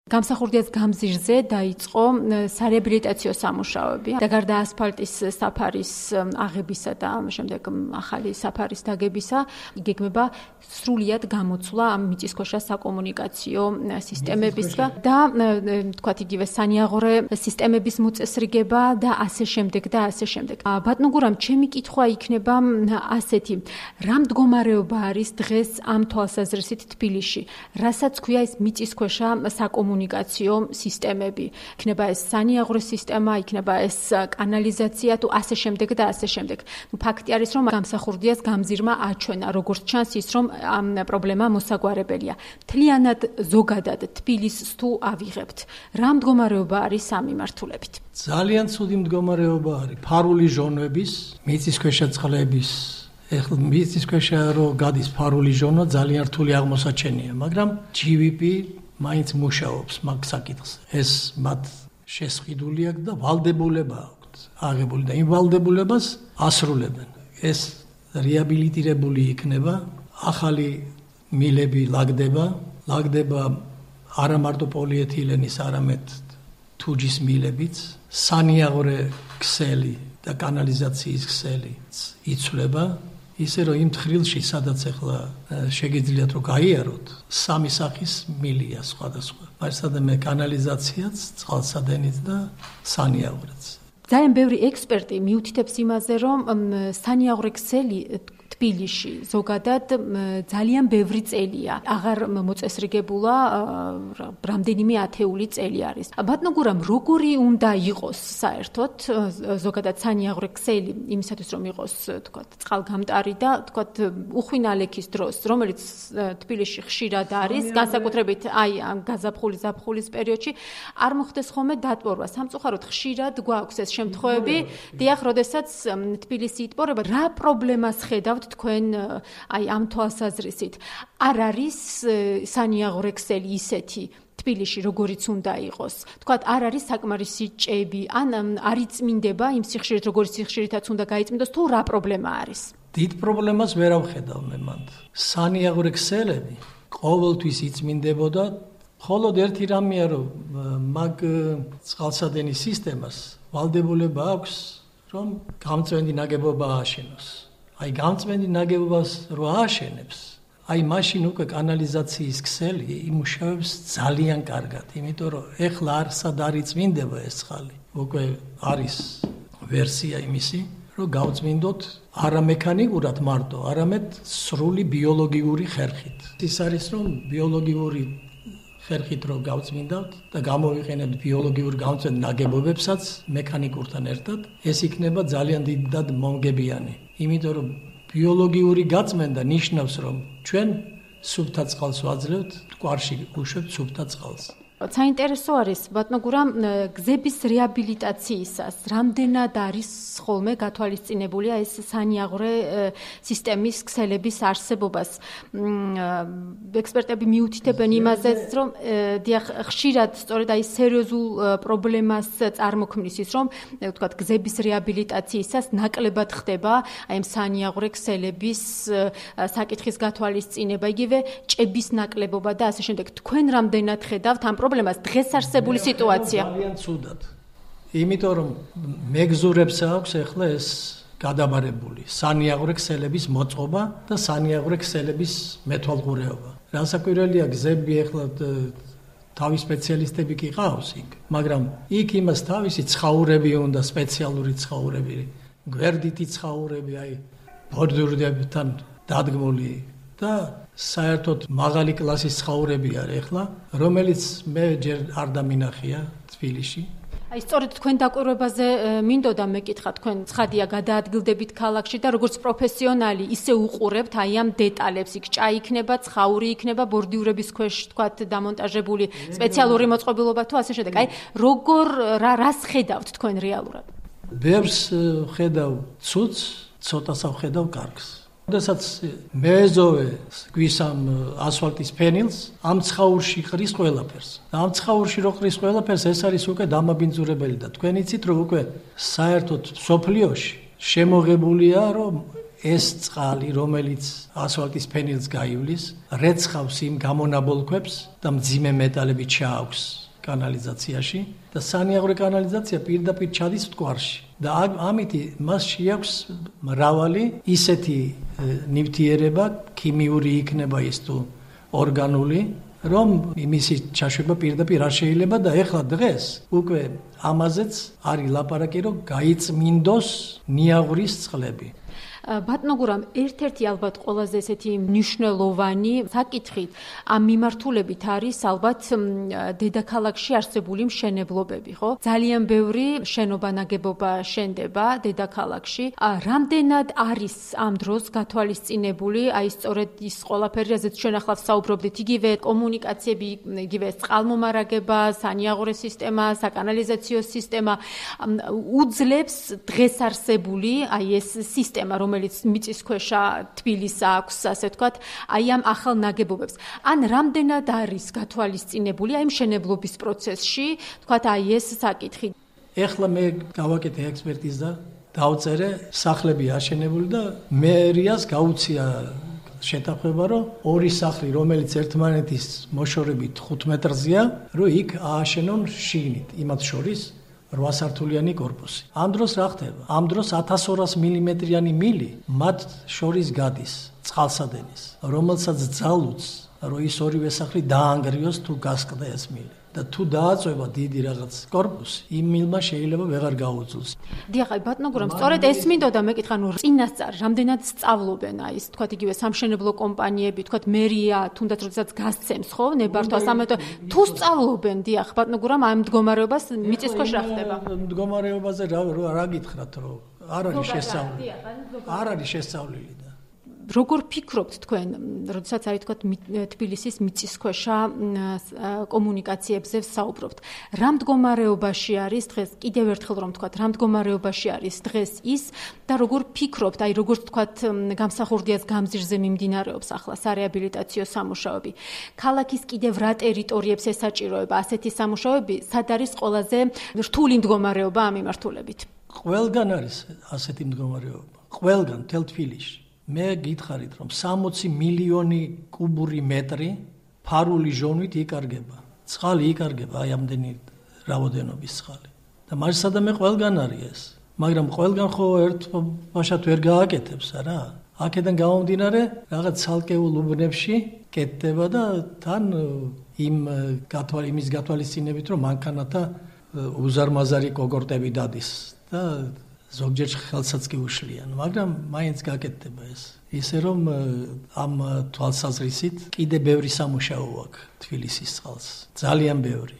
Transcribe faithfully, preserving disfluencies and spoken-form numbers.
გამსახურდიას გამზირზე დაიწყო სარეაბილიტაციო სამუშაოები და გარდა ასფალტის საფარის აღებისა და შემდეგ ახალი საფარის დაგებისა იგეგმება სრულიად გამოცვლა ამ მიწისქვეშა საკომუნიკაციო სისტემების და თქვათ იგივე სანიაღვრე სისტემების მოწესრიგება და ასე შემდეგ და ასე შემდეგ. ბატონო გურამ, ჩემი კითხვა იქნება ასეთი: რა მდგომარეობა არის დღეს ამ თვალსაზრისით თბილისში, რასაც ქვია ეს მიწისქვეშა საკომუნიკაციო სისტემები? იქნება ეს სანიაღვრე სისტემა, იქნება ეს კანალიზაცია თუ ასე შემდეგ და ასე შემდეგ. ნუ ფაქტი არის, რომ გამსახურდიას გამზირმა აჩვენა, როგორც ჩანს ის, რომ ამ პრობლემა მოსაგვარებელია. მთლიანად ზოგადად თბილისს თუ ავიღებთ, რა მდგომარეობა არის ამ მიმართულებით? ძალიან ცუდი მდგომარეობა არის. ფარული ჟონვების, მიწისქვეშა წყლების, ეხლა მიწისქვეშა რო გადის ფარული ჟონვა, ძალიან რთული აღმოსაჩენია, მაგრამ ჯი ვი პი მაინც მუშაობს მაგ საკითხზე. ეს მათ შესყიდული აქვს და ვალდებულება აქვს აღებული და იმ ვალდებულებას ასრულებენ. ეს რეაბილიტირებული იქნება, ახალი მილები ლაგდება, ლაგდება არა მარტო პოლიეთილენის, არამედ თუჯის მილებიც, სანიაღვრე ქსელი და კანალიზაციის ქსელი იცვლება, ისე რომ იმ თხრილში, სადაც ახლა შეგიძლიათ რომ გაიაროთ, სამი სახის მილია სხვადასხვა. მართლაც კანალიზაციაც, წყალსადენიც და სანიაღვრეც. ძალიან ბევრი ექსპერტი მიუთითებს იმაზე, რომ სანიაღვრე ქსელი თბილისში ზოგადად ძალიან ბევრი წელია, აღარ მოწესრიგებულა, რამდენიმე ათეული წელი არის. ბატონო გურამ, როგორი უნდა იყოს საერთოდ ზოგადად სანიაღვრე ქსელი იმისათვის, რომ იყოს, თქვათ, წყალგამტარი და თქვათ უხვინალექის დროს, რომელიც თბილისში ხშირად არის, განსაკუთრებით აი ამ გაზაფხულის ზაფხულის პერიოდში, არ მოხდეს ხოლმე დატბორვა. სამწუხაროდ ხშირად გვაქვს ეს შემთხვევები, დიახ, როდესაც თბილისი იტბორება, რა პრობლემას ხედავთ თქვენ აი ამ თვალსაზრისით? არ არის სანიაღვრე ქსელი ისეთი თბილისში, როგორიც უნდა იყოს? თქვათ, არ არის საკმარისი ჭები, ან არ იწმინდება იმ სიხშირით, როგორც სიხშირითაც უნდა გაიწმინდოს, თუ რა პრობლემა არის? დიდ პრობლემას ვერ ავხედავ მე მანდ. სანიაღვრე ქსელები ყოველთვის იწმინდებოდა, მხოლოდ ერთი რამეა, რომ მაგ წყალსადენის სისტემას ვალდებულება აქვს, რომ გამწვენდი ნაგებობა ააშენოს. აი გამწვენდი ნაგებობას რო ააშენებს, აი მაშინ უკვე კანალიზაციის ქსელი იმუშავებს ძალიან კარგად, იმიტომ რომ ეხლა არსად არ იწმინდება ეს წყალი. უკვე არის ვერსია იმისი, რომ გავწმინდოთ არა მექანიკურად მარტო, არამედ სრული ბიოლოგიური ხერხით. ის არის, რომ ბიოლოგიური ხერხით რო გავწმინდავთ და გამოვიყენებთ ბიოლოგიურ გამწვენ ნაგებობებსაც მექანიკურთან ერთად, ეს იქნება ძალიან დიდად მომგებიანი. იმიტომ რომ ბიოლოგიური გაწმენდა ნიშნავს, რომ ჩვენ სუფთა წყალს ვაძლევთ, მტკვარში უშვებთ სუფთა წყალს. საინტერესო არის, ბატონო გურამ, გზების რეაბილიტაციისას რამდენად არის ხოლმე გათვალისწინებულია ეს სანიაღვრე სისტემის ქსელების არსებობას? ექსპერტები მიუთითებენ იმაზეც, რომ დიახ, ხშირად სწორედ აი სერიოზულ პრობლემას წარმოქმნის ის, რომ ვთქვათ, გზების რეაბილიტაციისას ნაკლებად ხდება აი ამ სანიაღვრე ქსელების საკითხის გათვალისწინება, იგივე ჭების ნაკლებობა და ასე შემდეგ. თქვენ რამდენად ხედავთ ამ პრობლემას დღეს არსებული სიტუაცია? ძალიან ცუდად. იმიტომ რომ მეგზურებს აქვს ახლა ეს გადაბარებული სანიაღვრე ქსელების მოწყობა და სანიაღვრე ქსელების მეთვალყურეობა. რასაკვირველია, გზები ახლა თავის სპეციალისტები კი ყავს იქ, მაგრამ იქ იმას თავისი ცხაურები უნდა, სპეციალური ცხაურები, გვერდითი ცხაურები, აი ბორდურებთან დადგმული და საერთოდ მაღალი კლასის ცხაურები არის ახლა, რომელიც მე ჯერ არ დამინახია თბილისში. აი სწორედ თქვენ დაკვირვებაზე მინდოდა მეკითხა, თქვენ ცხადია გადაადგილდებით ქალაქში და როგორც პროფესიონალი ისე უყურებთ აი ამ დეტალებს, იქ ჭა იქნება, ცხაური იქნება, ბორდიურების ქვეშ თქვათ დამონტაჟებული სპეციალური მოწყობილობა თუ ასე შემდეგ. აი როგორ რა რას ხედავთ თქვენ რეალურად? ბევრს ხედავ ცუდს, ცოტას ვხედავ კარგს. როდესაც მეეზოვე გვისამ ასფალტის ფენილს, ამ ცხაურში ყრის ყველაფერს. და ამ ცხაურში რო ყრის ყველაფერს, ეს არის უკვე დამაბინძურებელი და თქვენ იცით, რომ უკვე საერთოდ სოფლიოში შემოღებულია, რომ ეს წყალი, რომელიც ასფალტის ფენილს გაივლის, რეცხავს იმ გამონაბოლქვებს და მძიმე მეტალები ჩააქვს კანალიზაციაში და სანიაღვრე კანალიზაცია პირდაპირ ჩადის მტკვარში. და ამით მას შეაქვს მრავალი ისეთი ნივთიერება, ქიმიური იქნება ის თუ ორგანული, რომ იმისი ჩაშვება პირდაპირ არ შეიძლება და ეხლა დღეს უკვე ამაზეც არის ლაპარაკი, რომ გაიწმინდოს ნიაღვრის წყლები. ბატონო გურამ, ერთ-ერთი ალბათ ყველაზე ესეთი მნიშვნელოვანი საკითხით ამ მიმართულებით არის ალბათ დედაქალაქში არსებული მშენებლობები, ხო? ძალიან ბევრი შენობა ნაგებობა შენდება დედაქალაქში. რამდენად არის ამ დროს გათვალისწინებული, აი სწორედ ის ყველაფერი, რაზეც ჩვენ ახლა ვსაუბრობდით, იგივე კომუნიკაციები, იგივე წყალმომარაგება, სანიაღვრე სისტემა, საკანალიზაციო სისტემა უძლებს დღეს არსებული აი ეს სისტემა, რომელიც მიწისქვეშა თბილისს აქვს, ასე ვთქვათ, აი ამ ახალ ნაგებობებს. ან რამდენად არის გათვალისწინებული აი მშენებლობის პროცესში, ვთქვათ, აი ეს საკითხი. ეხლა მე გავაკეთე ექსპერტიზა, დავწერე სახლები აშენებული და მერიას გაუწია შეთანხმება, რომ ორი სახლი, რომელიც ერთმანეთის მოშორებით ხუთ მეტრზეა, რომ იქ ააშენონ შიგნით, იმათ შორის რვა სართულიანი კორპუსი. ამ დროს რა ხდება? ამ დროს ათას ორას მილიმეტრიანი მილი მათ შორის გადის წყალსადენის, რომელსაც ძალუძს, რომ ის ორივე სახლი დაანგრიოს თუ გასკდა ეს მილი. და თუ დააწובה დიდი რაღაც კორპუსი, იმ მილმა შეიძლება ვეღარ გაუძლოს. დიახ, ბატონო გურამ, სწორედ ეს მინდოდა მეკითხა, ნუ წინასწარ რამდენად სწავლობენ აი ეს, თქვათ, იგივე სამშენებლო კომპანიები, თქვათ, მერია, თუნდაც როდესაც გასცემს, ხო, ნებართვას, ამიტომ თუ სწავლობენ, დიახ, ბატონო გურამ, ამ მდგომარეობას მიწისქვეშ რა ხდება? მდგომარეობაზე რა რა გითხრათ, რომ არ არის შესწავლილი. არ არის შესწავლილი და როგორ ფიქრობთ თქვენ, როდესაც არის თქვათ თბილისის მიწისქვეშა კომუნიკაციებზე ვსაუბრობთ, რა მდგომარეობაში არის დღეს, კიდევ ერთხელ რომ ვთქვათ, რა მდგომარეობაში არის დღეს ის და როგორ ფიქრობთ, აი როგორც ვთქვათ, გამსახურდიას გამზირზე მიმდინარეობს ახლა სარეაბილიტაციო სამუშაოები. ქალაქის კიდევ რა ტერიტორიებს ესაჭიროება ასეთი სამუშაოები, სად არის ყველაზე რთული მდგომარეობა ამ მიმართულებით? ყველგან არის ასეთი მდგომარეობა. ყველგან მთელ თბილისში. მე გითხარით, რომ სამოცი მილიონი კუბური მეტრი ფარული ჟონვით იკარგება. წყალი იკარგება, აი ამდენი რაოდენობის წყალი. და მარსადამე ყველგან არის ეს. მაგრამ ყველგან ხო ერთ ბაშად ვერ გააკეთებს, არა? აქედან გამომდინარე, რაღაც ცალკეულ უბნებში კეთდება და თან იმ გათვალ იმის გათვალისწინებით, რომ მანქანათა უზარმაზარი კოგორტები დადის და ზოგჯერ ხელსაც კი უშლიან, მაგრამ მაინც გაკეთდება ეს. ისე რომ ამ თვალსაზრისით კიდე ბევრი სამუშაო აქვს თბილისის წყალს. ძალიან ბევრი.